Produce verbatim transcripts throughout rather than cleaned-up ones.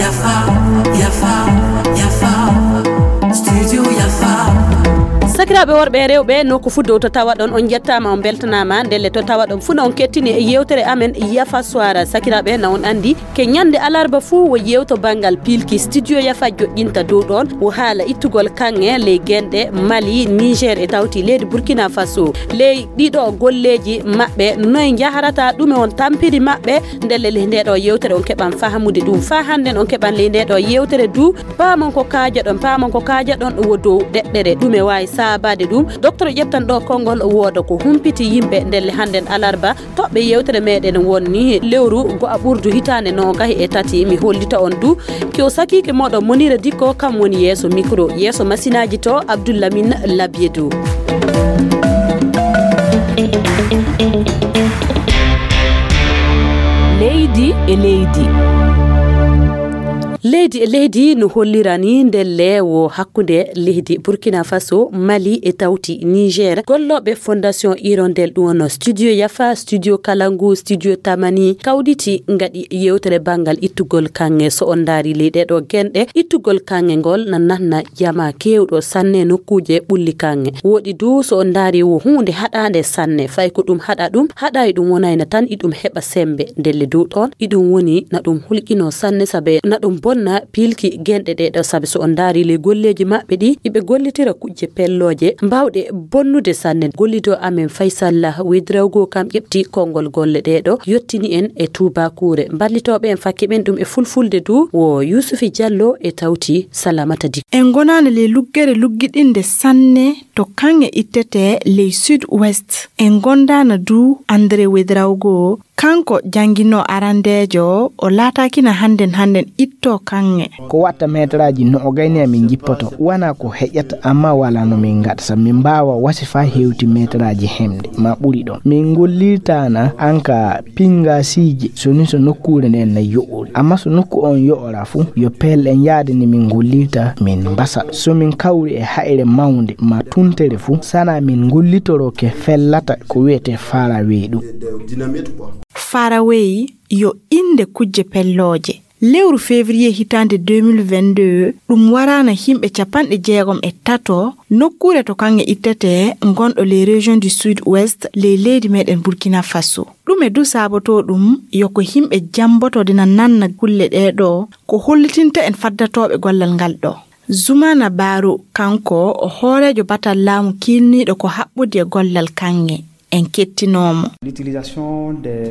Yafa, yafa, yafa. Studio yafa. Sakiraaɓe worɓe e rewɓe, nokku fuu dow to tawaɗon, on njettaama, on mbeltanaama. Ndelle to tawaɗon fuu, na on kettini e yeewtere amen Yafa Suwara. Sakiraaɓe, na on anndi, ke ñande alarba fuu wo yeewto banngal piilki. Studio Yafa joƴƴinta dow ɗoon, wo haala ittugol kaŋŋe ley genɗe Mali, Niger e tawti leydi Burkina Faso. Ley ɗiɗo golleeji maɓɓe, noy njaharata, ɗume on tampiri maɓɓe? Ndelle ley nde ɗo yeewtere on keɓan fahamude ɗum. Faa hannden on keɓan ley nde ɗo yeewtere du, paamon ko kaajaɗon, paamon ko kaajaɗon wo dow ɗeɗɗere. Ɗume waawi saabaade ɗum? Docteur ƴettan ɗo konngol, wooda ko humpiti yimɓe. Ndelle hannden alarba, toɓɓe yeewtere meɗen wonni lewru go'a ɓurdu hitaande noogahi e tati. Mi hollita on du, ki o sakiike mooɗon Monira Dikko, kam woni yeeso mikro, yeeso masinaaji to Abdul Lamin Labiedu. Leydi e leydi. Leydi e leydi no hollirani ndelle wo hakkunde leydi Burkina Faso, Mali e tawti Niger. Gollooɓe Fondation Hirondelle, ɗum wonno Studio Yafa, Studio Kalangu, Studio Tamani, kawditi ngaɗi yeewtere banngal ittugol kaŋŋe. So on ndaari ley ɗee ɗoo genɗe, ittugol kaŋŋe ngol na nanna jama keewɗo sanne nokkuuje ɓulli kaŋŋe. Woɗi du, so on ndaari, wo huunde haɗaande sanne. Fay ko ɗum haɗa ɗum, haɗaay ɗum wonayna tan iɗum heɓa sembe. Ndelle dow ɗoon, iɗum woni na ɗum hulƴinoo sanne, sabe na ɗum bonna piilki genɗe ɗee ɗoo. Sabe so on ndaari ley golleeji maɓɓe ɗi, iɓe gollitira kujje pellooje, mbaawɗe bonnude sanne. Gollidoo amen Faysal Lah Wedrawgo kam ƴeɓti konngol golle ɗee ɗoo, yottini en e tuubakuure. Mballitooɓe en fakke ɓen ɗum e fulfulde du, wo Yuusufi Jallo e tawti Salamata Dikko. En ngonaana ley luggere luggiɗinde sanne to kaŋŋe ittetee ley Sud Ouest. En gondaana du André Wedrawgo, kanko jannginoo arandeejo, o laataakina hannden hannden ittoo kaŋŋe. Ko watta meetaraaji noogay ni amin njippoto, wanaa ko heƴata, amma walaa no min ngaɗata. Min mbaawa wasi faa hewti meetaraaji hemde, maa ɓuri ɗon. Min ngollirtaana anka pinngasiije, so ni so nokkuure nden na yo'ori. Amma so nokku on yo'ora fu, yo peel en yaade ni min ngollirta, min mbasa. So min kawri e haire mawnde maa tuntere fu, sana min ngollitoro ke fellata ko wi'etee farawey ɗum. Farawey yo innde kujje pellooje. Lewru février hitaande deux mille vingt-deux, ɗum waraana yimɓe capanɗe jeegom e tato, nokkuure to kaŋŋe ittetee ngonɗo ley région du Sud Ouest ley leydi meɗen Burkina Faso. Ɗume du saabotoo ɗum? Yo ko yimɓe jamboto dina nanna kulle ɗee ɗoo, ko hollitinta en faddatooɓe gollal ngal ɗoo. Zumana Baro, kanko o hooreejo batal laamu kiilniiɗo ko haɓɓudi e gollal kaŋŋe. En kettinoo mo.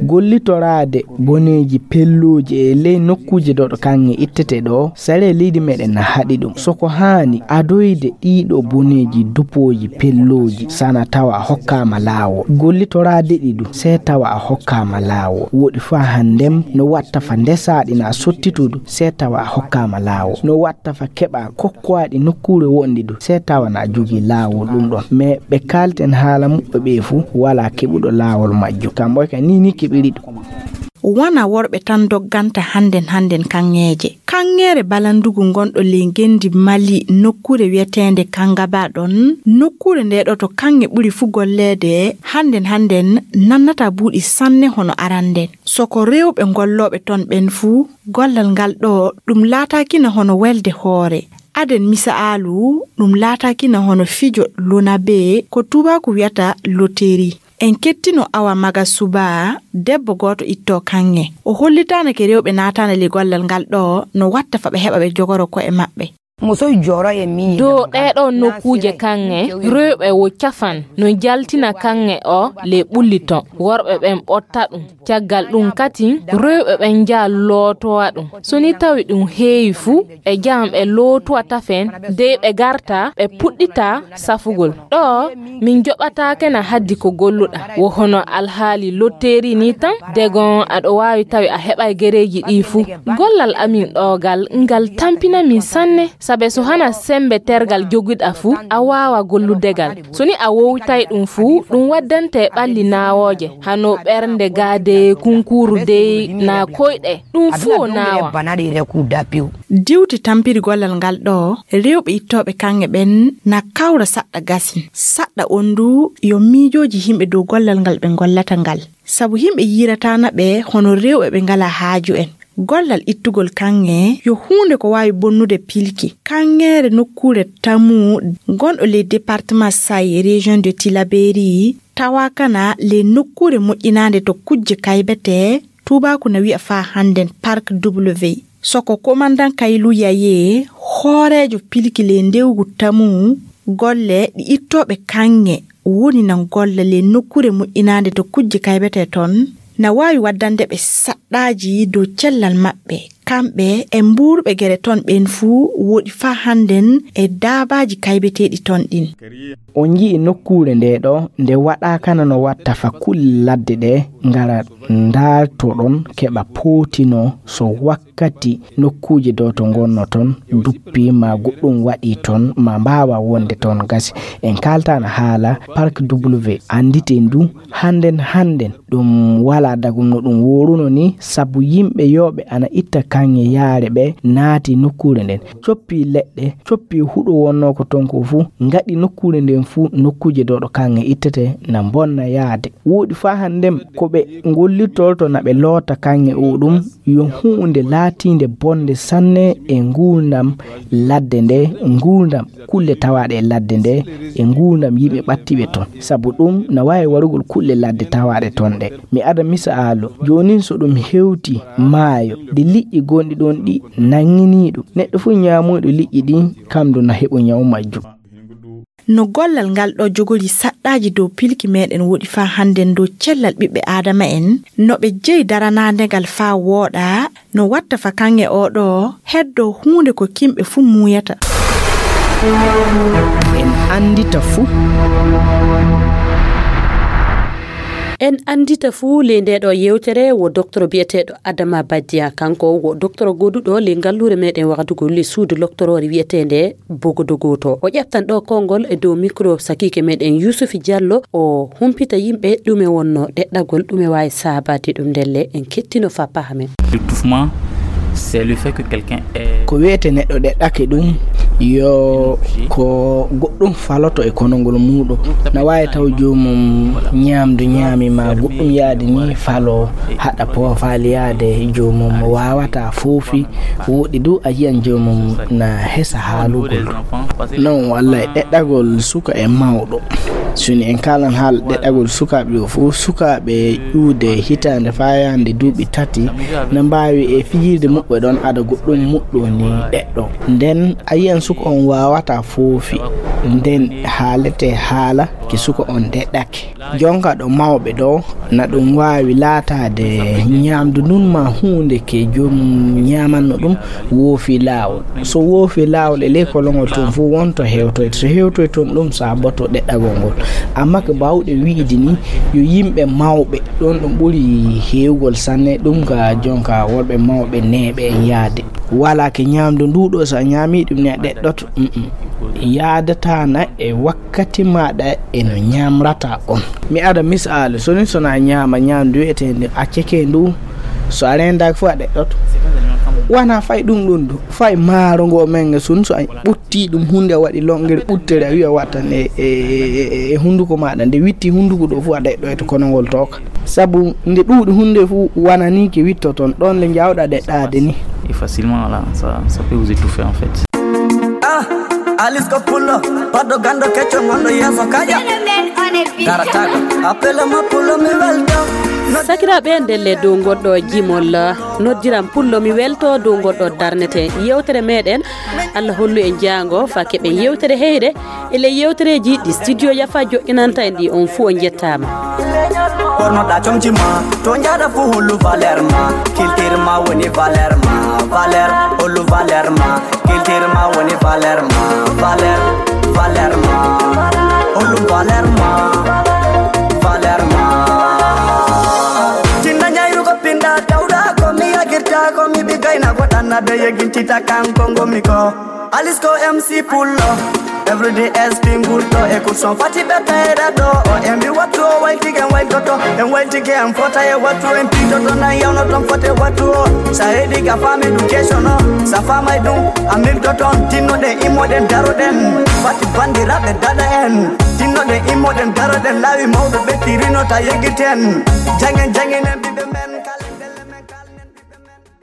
Gollitoraade boneeji pellooji e ley nokkuuje ɗo ɗo kaŋŋe ittete ɗo, saree leydi meɗen na haɗi ɗum. So ko haani adoyde ɗiiɗo boneeji dupooji pellooji, sana tawa a hokkaama laawol. Gollitoraade ɗi du, see tawa a hokkaama laawol. Woɗi faa hanndem no watta fa ndesaaɗi na sottitudu, see tawa a hokkaama laawol. No watta fa keɓa kokkoaɗi nokkuure wonɗi du, see tawa na jogii laawol ɗum ɗon. Mais ɓe kaalten haala muɓɓe ɓee fu, walaa keɓuɗo laawol majjum. Kamɓe ka ni ni keɓiri ɗum. Wona worɓe tan dogganta hannden hannden kaŋŋeeje. Kaŋŋeere Balandugu ngonɗo ley ngenndi Mali, nokkuure wi'eteende Kangaba ɗon, nokkuure nde ɗo to kaŋŋe ɓuri fu golleede, hannden hannden nannata buuɗi sanne hono aranden. So ko rewɓe gollooɓe ton ɓen fu, gollal ngal ɗo ɗum laataakina hono welde hoore. Aden misaalu, ɗum laataakina hono fijo lonabe, ko tuubaaku wi'ata loteri. En kettino Awa Maga Suba, debbo gooto ittoo kaŋŋe. O hollitaanake rewɓe naataande ley gollal ngal ɗo no watta fa ɓe heɓa ɓe jogoro ko'e maɓɓe. Dow ɗee ɗoo nokkuuje kaŋŋe, rewɓe wo cafan no njaltina kaŋŋe o ley ɓulli ton. Worɓe ɓen ɓotta ɗum. Caggal ɗum katin, rewɓe ɓen njaha lootowa ɗum. So ni tawi ɗum heewi fu, ɓe njahan ɓe lootowa tafen, dey ɓe ngarta, ɓe puɗɗita safugol. Ɗo, min joɓataake na haddi ko golluɗa. Wo hono alhaali lotteeri ni tan, degon aɗo waawi tawi a heɓay gereeji ɗi fu. Gollal amin ɗo gal, ngal tampina min sanne. Sabe so hana sembe tergal jogiɗa fu, a waawa gollude gal. So ni a wowtay ɗum fu, ɗum waddante ɓalli naawooje, hano ɓernde gaade, kunkuuru dey, na koyɗe. Ɗum fu o naawa. Diwti tampiri gollal ngal ɗo, rewɓe ittooɓe kaŋŋe ɓen na kawra saɗɗa gasin. Saɗɗa on du yo miijooji yimɓe dow gollal ngal ɓe ngollata ngal. sabu yimɓe yiiratana ɓe hono rewɓe ɓe ngala haaju en. Gollal ittugol kaŋŋe yo huunde ko waawi bonnude pilki. Kaŋŋeere nokkuure tamu gonɗo ley département Saï, région de Tillabéri, tawa kana ley nokkuure moƴƴinaande to kujje kaybete, tuubaaku na wiya faa hannden Parc W. Soko komandan Kaylu Yaye, hooreejo pilki ley ndewgu tamu, golle ɗi ittooɓe kaŋŋe woni nan golla ley nokkuure moƴƴinaande to kujje kaybete ton, na waawi waddande ɓe saɗɗaaji dow cellal maɓɓe. Kamɓe e mbuurɓe gere ton ɓen fuu woɗi faa hannden e daabaaji kaybeteeɗi ton ɗin. On nji'i nokkuure nde ɗo, nde waɗaakana no watta fa kulle ladde ɗe ngara ndaaltoɗon keɓa pootino so wakkati nokkuuje ɗo to ngonno ton duppi ma goɗɗum waɗi ton ma mbaawa wonde ton gasi. En kaaltana haala Parc W annditen du hannden hannden ɗum wala dagum no ɗum woruno ni, sabu yimɓe yooɓe ana itta kaŋŋe yaare ɓe naati nokkuure nden, coppi leɗɗe, coppi huɗo wonno ko ton ko fuu, ngaɗi nokkuure nden fuu nokkuuje ɗo ɗo kaŋŋe ittete na bonna yaade. Woɗi faa hannden ko ɓe ngollirtolto na ɓe loota kaŋŋe o ɗum yo huunde laatiinde bonde sanne e nguurndam ladde nde, nguurndam kulle tawaaɗe e ladde nde, e nguurndam yimɓe ɓattiiɓe ton. Sabu ɗum na waawi warugol kulle ladde tawaaɗe ton ɗe. Mi ada misaalu, joonin so ɗum hewti maayo, de liƴƴi gonɗi ɗon ɗi nannginiiɗo, neɗɗo fuu ñaamoyɗo liƴƴi ɗin, kam du na heɓu ñawu majjum. No gollal ngal ɗo jogori saɗɗaaji dow pilki meɗen woɗi faa hannden dow cellal ɓiɓɓe Aadama en, no ɓe jeyi daranaade ngal faa wooɗa, no watta fa kaŋŋe o ɗo heddo huunde ko kimɓe fuu muuyata. En anndita fuu. En anndita fuu ley nde ɗo yewtere wo doktoro biyeteeɗo Adama Badiya. Kanko wo doktoro goduɗo ley ngalluure meɗen waɗugol ley suudu loktoroore wiyeteende Bogodogoto. O ƴeftan ɗo konngol e dow mikro sakiike meɗen Yusufi Diallo. O humpita yimɓe ɗume wonno ɗeɗɗagol, ɗume waawi saabade ɗum ndelle en kettino fa pahamen. L'étouffement, c'est le fait que quelqu'un est... Ko wiyete neɗɗo ɗeɗɗake ɗum yo ko goɗɗum faloto e konongol muuɗum. Na waawi taw joomum ñaamdu ñaami ma goɗɗum yaade ni falo haɗa poofaali yaade joomum waawata foofi. Woɗi du a yiyan joomum na hesa haalugol. Non, walla e ɗeɗɗagol suka e mawɗo. Soni en kaalan haala ɗeɗɗagol sukaaɓe o fof, sukaaɓe ƴuude hitaande faa yaande duuɓi tati na mbaawi e fijirde muɓɓe ɗon ada goɗɗum muɗɗo ni ɗeɗɗo. Nden a yiyan suka on waawata foofi. Nden haalete haala ke suka on ɗeɗɗake. Jonka ɗo mawɓe ɗo na ɗum waawi laataade ñaamdu ndun ma huunde ke joom ñaamanno ɗum woofi laawol. So woofi laawol e ley kolongol tun fof wonto hewtoyta. So hewtoy tun ɗum saaboto ɗeɗɗagol ngol. Amma ko baawɗe wiide ni yo yimɓe mawɓe ɗon ɗum ɓuri heewgol sanne ɗum ka jonka worɓe mawɓe neeɓe en yaade. Wala ke ñaamdu ndu ɗo so a ñaami ɗum ne a ɗeɗɗoto. Mm-mm. Yaadata na e wakkati maɗa e no ñamrata on. Mi ada misaalu, soni sona ñaama ñaamdu wi'eteende acceke ndu, so a rendaaki fof a ɗeɗɗoto. Wana fay ɗum ɗum du, fay maaro ngo men nga sun so a ɓutti ɗum hunde waɗi longere ɓuttere a wi'a wattan e, e, e, e hunduko maɗa nde witti hunduko ɗo fof a ɗeɗɗoyto kono ngol tooka. Sabu nde ɗuuɗi hunde fof wana ni ke wittoton ɗon le jawɗa ɗeɗɗaade ni. Et facilement, voilà, ça, ça peut vous étouffer en fait. Ah, Alice ko pullo, paɗɗo ganndo kecco ngonɗo yeeso kaƴa. Darataako, appela ma pullo mi welto. Sakiraaɓe, ndelle dow ngonɗo jimol, noddiram pullo mi welto dow ngonɗo darnete. Yewtere meɗen, Allah hollu en jaango, fa keɓen yewtere heyre. E ley yewtereeji ɗi studio Yafa joɗɗinanta en ɗi, on fuu on njettaama. Ɓornoɗa comci ma, to njaada fuu hollu valeur ma, culture ma woni valeur ma, valeur, hollu valeur ma, culture ma woni valeur ma, valeur, valeur ma, hollu valeur ma, valeur ma. Tinna ñayru ko pinɗa tawɗa ko mi yagirta ko mi ɓi gayna ko ɗanna de yegintita kanko ngomi ko. Alice ko M C pullo. Everyday S P ngurto e kurson fati ɓe tayra ɗo. O en mbi wattu o wayltike en wayltoto. En wayltike en fota e wattu en pitoto nan yawno ton fote wattu o. Sa heɗi ka fami ɗum kesono. Sa famay ɗum a milto ton tinnoɗen immoɗen daroɗen. Fati bandiraɓe dada en. Tinnoɗen immoɗen daroɗen lawi mawɗo ɓe tirino ta yeggiten. Jangen jangen en ɓiɓe mere.